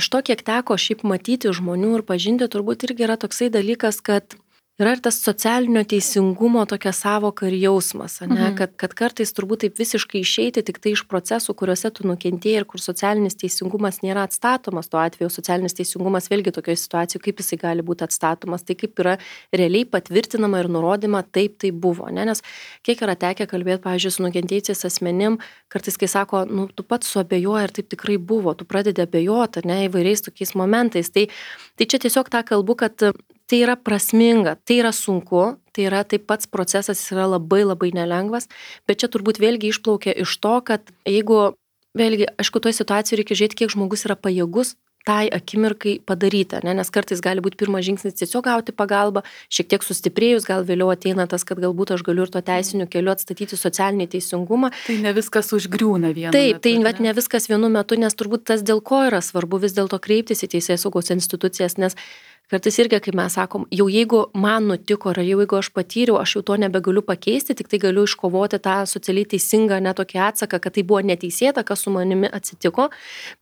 iš to, kiek teko šiaip matyti žmonių ir pažinti, turbūt irgi yra toksai dalykas, kad yra ir tas socialinio teisingumo tokia savoka ir jausmas, ne, kad kartais turbūt taip visiškai išeiti tik tai iš procesų, kuriuose tu nukentėjai ir kur socialinis teisingumas nėra atstatomas, tuo atveju socialinis teisingumas vėlgi tokioje situacijoje, kaip jisai gali būti atstatomas, tai kaip yra realiai patvirtinama ir nurodyma, taip tai buvo, ne, nes kiek yra tekę kalbėti, pavyzdžiui, su nukentėjusiais asmenim, kartais kai sako, tu pats suabejoji ir taip tikrai buvo, tu pradedi abejoti, ne, įvairiais tokiais momentais, tai čia tiesiog tą kalbu, kad tai yra prasminga, tai yra sunku, tai yra taip pats procesas yra labai labai nelengvas, bet čia turbūt vėlgi išplaukia iš to, kad jeigu, vėlgi, aišku, toje situacijoje reikia žiūrėti, kiek žmogus yra pajėgus tai akimirkai padaryti, ne? Nes kartais gali būti pirmas žingsnis tiesiog gauti pagalbą, šiek tiek sustiprėjus, gal vėliau ateina tas, kad galbūt aš galiu ir to teisiniu keliu atstatyti socialinį teisingumą. Tai ne viskas užgriūna vienu metu. Taip, tai ne viskas vienu metu, nes turbūt tas dėl ko yra svarbu vis dėlto kreiptis į teisėsaugos institucijas, nes kartais irgi, kaip mes sakom, jau jeigu man nutiko, ar jeigu aš patyriau, aš jau to nebegaliu pakeisti, tik tai galiu iškovoti tą socialiai teisingą netokį atsaką, kad tai buvo neteisėta, kas su manimi atsitiko,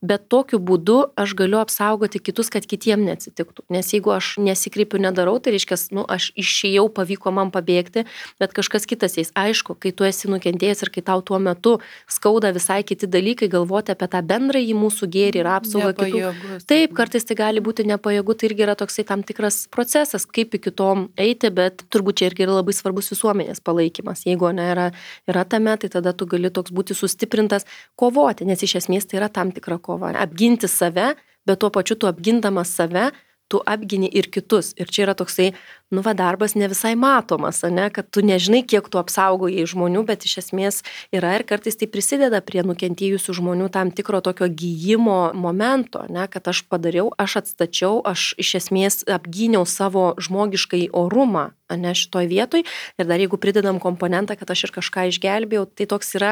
bet tokiu būdu aš galiu apsaugoti kitus, kad kitiem neatsitiktų. Nes jeigu aš nesikreipiu, nedarau, tai reiškia, aš išėjau, pavyko man pabėgti, bet kažkas kitas eis. Aišku, kai tu esi nukentėjęs ir kai tau tuo metu skauda visai kiti dalykai, galvoti apie tą bendrąjį mūsų gėrį ir apsaugą kitų. Taip, kartais tai gali būti nepajėgu, tai irgi yra toksai tam tikras procesas, kaip iki to eiti, bet turbūt čia irgi yra labai svarbus visuomenės palaikymas. Jeigu yra tame, tai tada tu gali toks būti sustiprintas kovoti, nes iš esmės tai yra tam tikra kova. Apginti save, bet tuo pačiu tu apgindamas save, tu apgini ir kitus. Ir čia yra toksai, darbas ne visai matomas, kad tu nežinai, kiek tu apsaugojai žmonių, bet iš esmės yra ir kartais tai prisideda prie nukentėjusių žmonių tam tikro tokio gyjimo momento, kad aš padariau, aš atstačiau, aš iš esmės apgyniau savo žmogiškai orumą, šitoj vietoj. Ir dar jeigu pridedam komponentą, kad aš ir kažką išgelbėjau, tai toks yra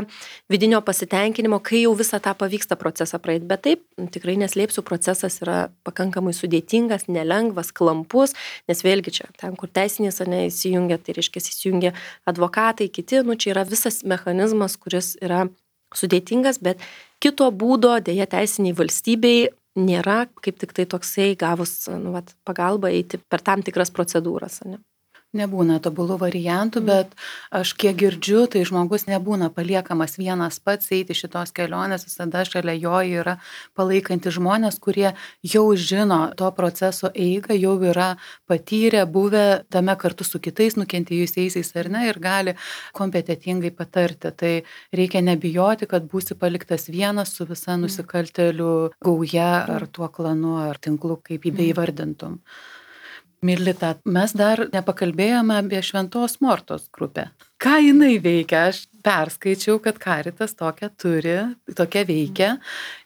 vidinio pasitenkinimo, kai jau visą tą pavyksta procesą praeiti. Bet taip, tikrai neslėpsiu, procesas yra pakankamai sudėtingas, nelengvas, klampus, nes vėlgi čia, ten, kur teisinės įsijungia, tai reiškia įsijungia advokatai, kiti, čia yra visas mechanizmas, kuris yra sudėtingas, bet kito būdo dėja teisiniai valstybei nėra, kaip tik tai toksai gavus pagalbą eiti per tam tikras procedūras. Nebūna tobulų variantų, bet aš kiek girdžiu, tai žmogus nebūna paliekamas vienas pats eiti šitos kelionės, visada šalia jo yra palaikanti žmonės, kurie jau žino to proceso eigą, jau yra patyrę, buvę tame kartu su kitais nukentėjusiais ar ne ir gali kompetentingai patarti. Tai reikia nebijoti, kad būsi paliktas vienas su visa nusikaltėlių gauja ar tuo klanu ar tinklu, kaip jį beįvardintum. Milita, mes dar nepakalbėjome apie Šventos Mortos grupę. Ką jinai veikia? Aš perskaičiau, kad Caritas tokią turi, tokią veikia.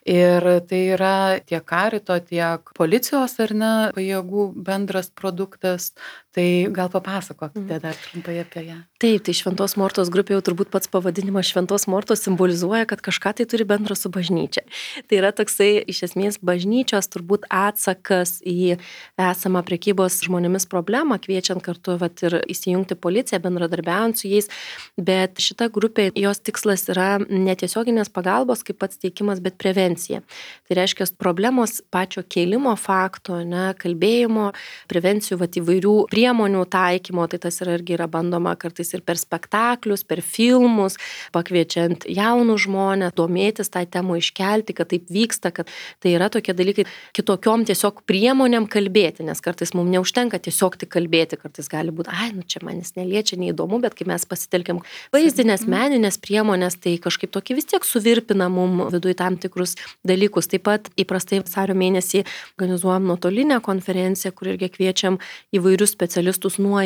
Ir tai yra tiek Carito, tiek policijos ar ne pajėgų bendras produktas. Tai gal papasakokite dar trumpai apie ją. Taip, tai Šventos Mortos grupė jau turbūt pats pavadinimas Šventos Mortos simbolizuoja, kad kažką tai turi bendro su bažnyčia. Tai yra toksai iš esmės bažnyčios turbūt atsakas į esamą prekybos žmonėmis problemą, kviečiant kartu ir įsijungti policiją, bendradarbiaujant su jais. Bet šita grupė, jos tikslas yra netiesioginės pagalbos kaip pats teikimas, bet prevencija. Tai reiškia problemos pačio kėlimo fakto, kalbėjimo, prevencijų įvairių priemonių taikymo, tai tas irgi yra bandoma kartais ir per spektaklius, per filmus, pakviečiant jaunus žmonės, domėtis tą temą, iškelti, kad taip vyksta, kad tai yra tokie dalykai kitokiom tiesiog priemonėm kalbėti, nes kartais mums neužtenka tiesiog tik kalbėti, kartais gali būti, čia manis neliečia, neįdomu, bet kai mes pasitelkiam vaizdinės, meninės priemonės, tai kažkaip tokį vis tiek suvirpina mum viduje tam tikrus dalykus. Taip pat įprastai vasario mėnesį organizuojam nuotolinę konferenciją, kur irgi kviečiam įvairius specialistus nuo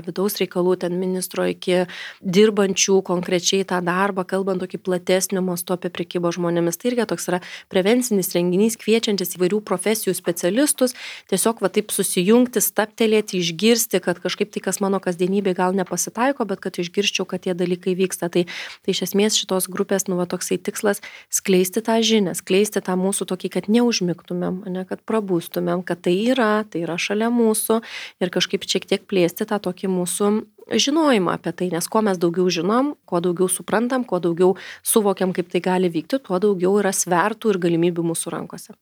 vidaus reikalų ten ministro iki dirbančių konkrečiai tą darbą, kalbant tokį platesnių mastų apie prekybą žmonėmis. Tai irgi toks yra prevencinis renginys, kviečiantis įvairių profesijų specialistus, tiesiog taip susijungti, staptelėti, išgirsti, kad kažkaip tai, kas mano kasdienybė gal nepasitaiko, bet kad išgirščiau, kad tie dalykai vyksta. Tai iš esmės šitos grupės, toksai tikslas skleisti tą žinią, skleisti tą mūsų tokį, kad neužmigtumėm, kad prabūstumėm, kad tai yra šalia mūsų ir kažkaip šiek tiek plėsti tą tokį mūsų žinojimą apie tai, nes kuo mes daugiau žinom, kuo daugiau suprantam, kuo daugiau suvokiam, kaip tai gali vykti, tuo daugiau yra svertų ir galimybių mūsų rankose.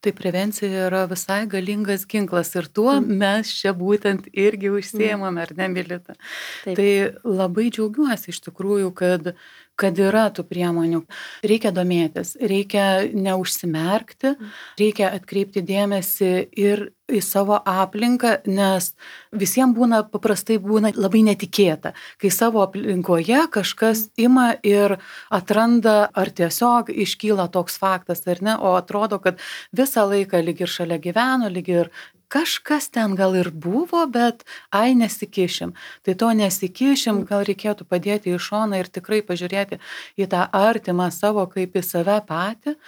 Tai prevencija yra visai galingas ginklas ir tuo mes čia būtent irgi užsiėmame, ar ne, Milita? Taip. Tai labai džiaugiuosi iš tikrųjų, kad yra tų priemonių. Reikia domėtis, reikia neužsimerkti, reikia atkreipti dėmesį ir į savo aplinką, nes visiems paprastai būna labai netikėta, kai savo aplinkoje kažkas ima ir atranda, ar tiesiog iškyla toks faktas, ar ne, o atrodo, kad visą laiką lyg ir šalia gyveno, lyg ir kažkas ten gal ir buvo, bet nesikišim. Tai to nesikišim, gal reikėtų padėti į šoną ir tikrai pažiūrėti į tą artimą savo kaip į save patį,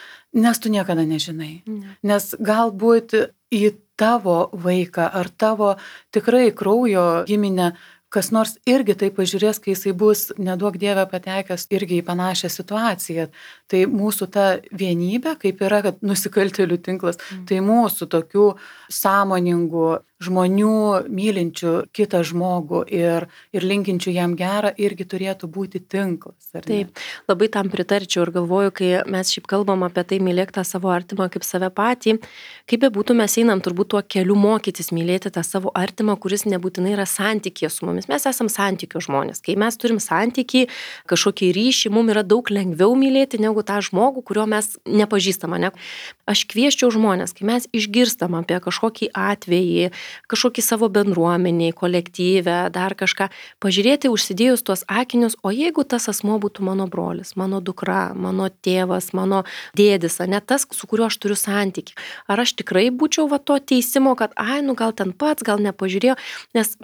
nes tu niekada nežinai. Nes galbūt į tavo vaiką ar tavo tikrai kraujo giminę kas nors irgi tai pažiūrės, kai jisai bus, neduok Dieve, patekęs irgi į panašią situaciją. Tai mūsų ta vienybė, kaip yra, kad nusikaltėlių tinklas, tai mūsų tokių sąmoningų žmonių, mylinčių kitą žmogų ir linkinčių jam gerą irgi turėtų būti tinklas. Taip, labai tam pritarčiau ir galvoju, kai mes šiaip kalbam apie tai, mylėk tą savo artimą kaip save patį, kaip bebūtų mes einam turbūt tuo keliu mokytis mylėti tą savo artimą, kuris nebūtinai yra santykė su mumis. Mes esam santykių žmonės. Kai mes turim santykį, kažkokį ryšį, mums yra daug lengviau mylėti negu tą žmogų, kurio mes nepažįstam. Ne? Aš kvieščiau žmonės, kai mes išgirstam apie kažkokį atvejį, kažkokį savo bendruomeniai, kolektyvę, dar kažką, pažiūrėti užsidėjus tuos akinius, o jeigu tas asmuo būtų mano brolis, mano dukra, mano tėvas, mano dėdis, ne tas, su kuriuo aš turiu santykį. Ar aš tikrai būčiau va to teisimo, kad, gal ten pats, gal nepažiūrėjau, nes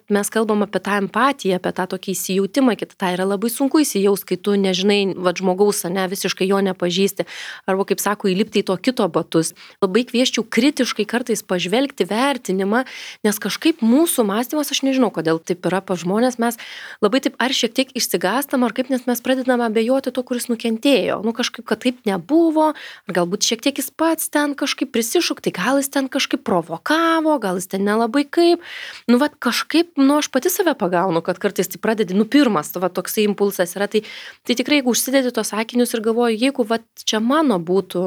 mes kalbam apie tą empatiją, apie tą tokį įsijautimą, kad tai yra labai sunku įsijaus, kai tu nežinai, va žmogaus, visiškai jo nepažįsti, arba, kaip sako, įlipti į to kito batus. Labai kvieščiau kritiškai kartais pažvelgti vertinimą, nes kažkaip mūsų mąstymas, aš nežinau, kodėl taip yra pas žmonės, mes labai taip ar šiek tiek išsigąstam, ar kaip, nes mes pradedame abejoti to, kuris nukentėjo. Kažkaip, kad taip nebuvo, ar galbūt šiek tiek jis pats ten kažkaip prisišaukė, tai gal jis ten kažkaip provokavo, gal jis ten nelabai kaip. Kažkaip, aš pati save pagaunu, kad kartais tai pradedi, pirmas, toksai impulsas yra, tai tikrai, jeigu užsidedi tos akinius ir galvoju, jeigu čia mano būtų,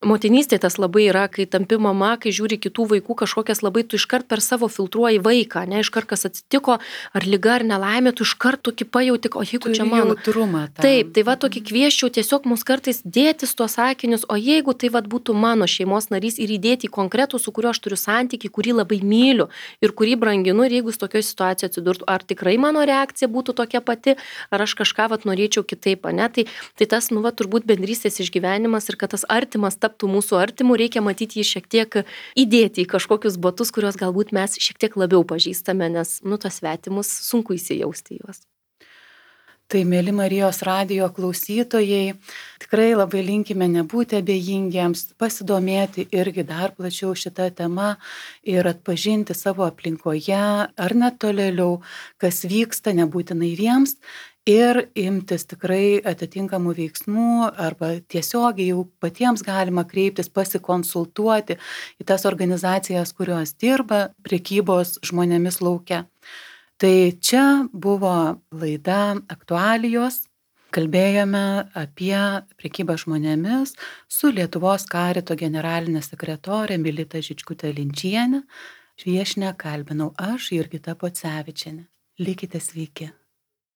motinystė tas labai yra, kai tampi mama, kai žiūri kitų vaikų kažkokias labai, tu iškart per savo filtruoji vaiką, iškart kas atsitiko, ar liga, ar nelaimė, tu iškart tokį pajauti, o jeigu čia mano. Jautrumą, taip, tai tokį kvieščiau tiesiog mus kartais dėtis tuos akinius, o jeigu tai būtų mano šeimos narys ir įdėti į konkretų, su kuriuo aš turiu santykį, kurį labai myliu ir kurį branginu, ir jeigu jis tokioje situacijoje atsidurtų, ar tikrai mano reakcija būtų tokia pati, ar aš kažką norėčiau kitaip, tai tas, turbūt bendrystės išgyvenimas ir kad tas artimas taptų mūsų artimu, reikia matyti jį šiek tiek įdėti į kažkokius batus, kuriuos galbūt mes šiek tiek labiau pažįstame, nes, tos svetimus sunku įsijausti juos. Tai, mėly Marijos radijo klausytojai, tikrai labai linkime nebūti abejingiems, pasidomėti irgi dar plačiau šitą temą ir atpažinti savo aplinkoje ar net tolėliau, kas vyksta, nebūtinai jiems, ir imtis tikrai atitinkamų veiksmų arba tiesiogiai jau patiems galima kreiptis, pasikonsultuoti į tas organizacijas, kurios dirba prekybos žmonėmis lauke. Tai čia buvo laida Aktualijos. Kalbėjome apie prekybą žmonėmis su Lietuvos karito generalinė sekretorė Milita Žičkutė-Linčienė. Viešnią kalbinau aš, Jurgita Pocevičienė. Likite sveiki.